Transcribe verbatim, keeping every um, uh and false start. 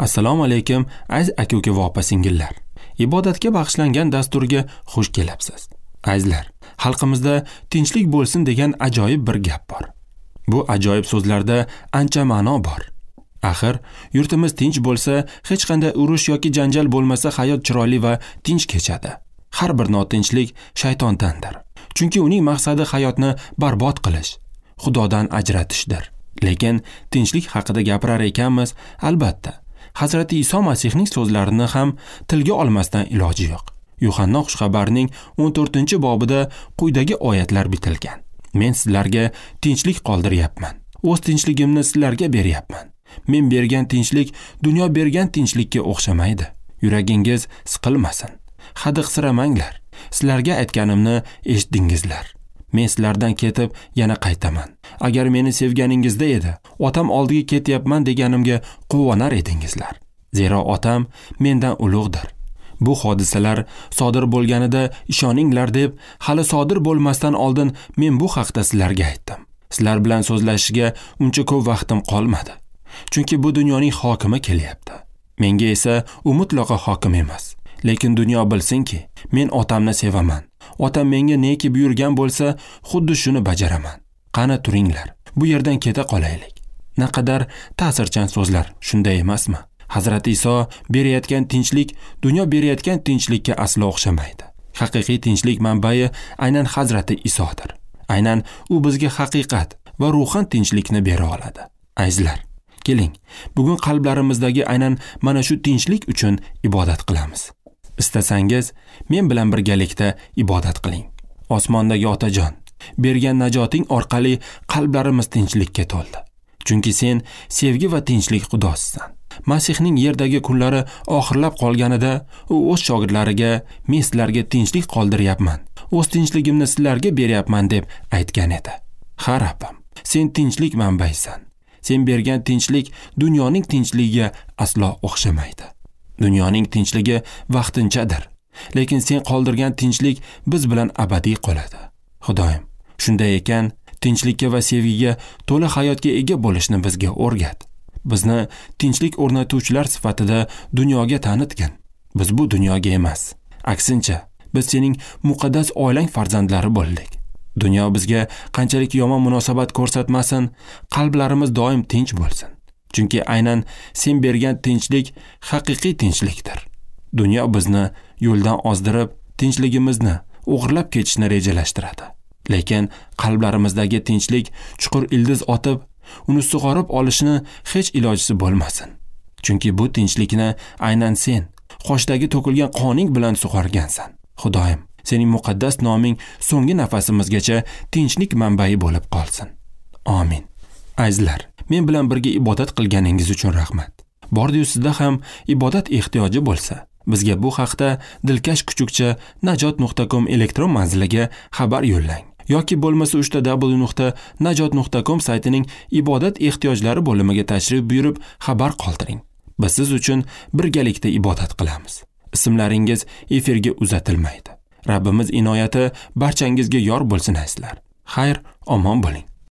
Assalomu alaykum aziz aka-uka va opa-singillar. Ibodatga bag'ishlangan dasturga xush kelibsiz. Azizlar, xalqimizda tinchlik bo'lsin degan ajoyib bir gap bor. Bu ajoyib so'zlarda ancha ma'no bor. Axir, yurtimiz tinch bo'lsa, hech qanday urush yoki janjal bo'lmasa, hayot chiroyli va tinch kechadi. Har bir notinchlik shaytondandir. Chunki uning maqsadi hayotni barbod qilish, Xudodan ajratishdir. Lekin tinchlik haqida gapirar ekanmiz, albatta, Hazrati Iso Masihning so'zlarini ham tilga olmasdan iloji yo'q. Yuhanna xushxabarining o'n to'rtinchi bobida quyidagi oyatlar bitilgan. Men sizlarga tinchlik qoldiryapman. O'z tinchligimni sizlarga beryapman. Men bergan tinchlik dunyo bergan tinchlikka o'xshamaydi. Yuragingiz siqilmasin. Hadiqsiramanglar. Sizlarga aytganimni eshitdingizlar. Men sizlardan ketib yana qaytaman. Agar meni sevganingizda edi, otam oldiga ketyapman deganimga quvonar edingizlar. Zero otam mendan ulug'dir. Bu hodisalar sodir bo'lganida ishoninglar deb, hali sodir bo'lmasdan oldin men bu haqda sizlarga aytdim. Sizlar bilan so'zlashishga uncha ko'p vaqtim qolmadi. Chunki bu dunyoning hokimi kelyapti. Menga esa u mutlaqo hokim emas. Lekin dunyo bilsinki, men otamni sevaman. Otam menga neki buyurgan bo'lsa, xuddi shuni bajaraman. Qani turinglar, bu yerdan keta qolaylik. Naqadar ta'sirchan so'zlar, shunday emasmi? Hazrati Iso berayotgan tinchlik dunyo berayotgan tinchlikka aslo o'xshamaydi. Haqiqiy tinchlik manbai aynan Hazrati Isodir. Aynan u bizga haqiqat va ruhan tinchlikni bera oladi. Azizlar, keling, bugun qalblarimizdagi aynan mana shu tinchlik uchun ibodat qilamiz. Istasangiz, men bilan birgalikda ibodat qiling. Osmondagi Otajon, bergan najoting orqali qalblarimiz tinchlikka to'ldi. Chunki sen sevgi va tinchlik Xudosisan. Masihning yerdagi kunlari oxirlab qolganida u o'z shogirdlariga men sizlarga tinchlik qoldiryapman, o'z tinchligimni sizlarga beryapman deb aytgan edi. Ha Rabbim, sen tinchlik manbaisan. Sen bergan tinchlik dunyoning tinchligiga aslo o'xshamaydi. Dunyoning tinchligi vaqtinchadir, lekin sen qoldirgan tinchlik biz bilan abadiy qoladi. Xudoyim, shunday ekan, tinchlikka va sevgiga to'la hayotga ega bo'lishni bizga o'rgat. Bizni tinchlik o'rnatuvchilar sifatida dunyoga tanitgin. Biz bu dunyoga emas, aksincha, biz sening muqaddas oilang farzandlari bo'ldik. Dunyo bizga qanchalik yomon munosabat ko'rsatmasin, qalblarimiz doim tinch bo'lsin. Chunki aynan sen bergan tinchlik haqiqiy tinchlikdir. Dunyo bizni yo'ldan ozdirib, tinchligimizni o'g'irlab ketishni rejalashtiradi. Lekin qalblarimizdagi tinchlik chuqur ildiz otib, uni sug'orib olishni hech ilojisi bo'lmasin. Chunki bu tinchlikni aynan sen qoshdagi to'kilgan qoning bilan sug'organsan. Xudoyim, sening muqaddas noming so'nggi nafasimizgacha tinchlik manbai bo'lib qolsin. Amin. Azizlar, men bilan birga ibodat qilganingiz uchun rahmat. Bordi-yu sizda ham ibodat ehtiyoji bo'lsa, bizga bu haqda dilkash kuchukcha najot nuqta com elektron manziliga xabar yo'llang. Yoki bo'lmasa uchta w nuqta najot nuqta com saytining ibodat ehtiyojlari bo'limiga tashrif buyurib xabar qoldiring. Biz siz uchun birgalikda ibodat qilamiz. Ismlaringiz efirga uzatilmaydi. Rabbimiz inoyati barchangizga yor bo'lsin azizlar. Xayr, omon bo'ling.